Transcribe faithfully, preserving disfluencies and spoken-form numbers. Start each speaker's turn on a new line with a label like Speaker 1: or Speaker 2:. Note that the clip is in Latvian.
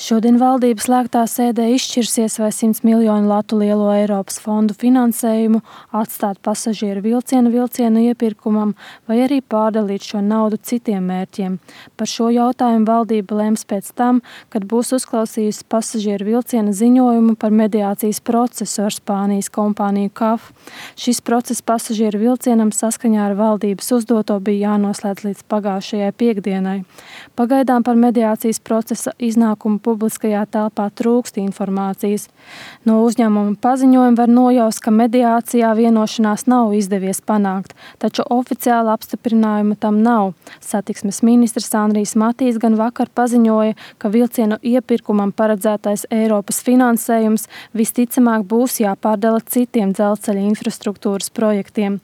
Speaker 1: Šodien valdība slēgtā sēdē izšķirsies, vai simts miljonu latu lielo Eiropas fondu finansējumu atstāt pasažieru vilcienu vilcienu iepirkumam vai arī pārdalīt šo naudu citiem mērķiem. Par šo jautājumu valdība lems pēc tam, kad būs uzklausījusi pasažieru vilciena ziņojumu par mediācijas procesu ar Spānijas kompāniju C A F. Šis process pasažieru vilcienam saskaņā ar valdības uzdoto bija jānoslēdz līdz pagājušajai piektdienai. Pagaidām par mediācijas procesa iznākumu publiskajā telpā trūkst informācijas. No uzņēmuma paziņojuma var nojaust, ka mediācijā vienošanās nav izdevies panākt, taču oficiāla apstiprinājuma tam nav. Satiksmes ministrs Andrijs Matīs gan vakar paziņoja, ka vilcienu iepirkumam paredzētais Eiropas finansējums visticamāk būs jāpārdala citiem dzelzceļa infrastruktūras projektiem.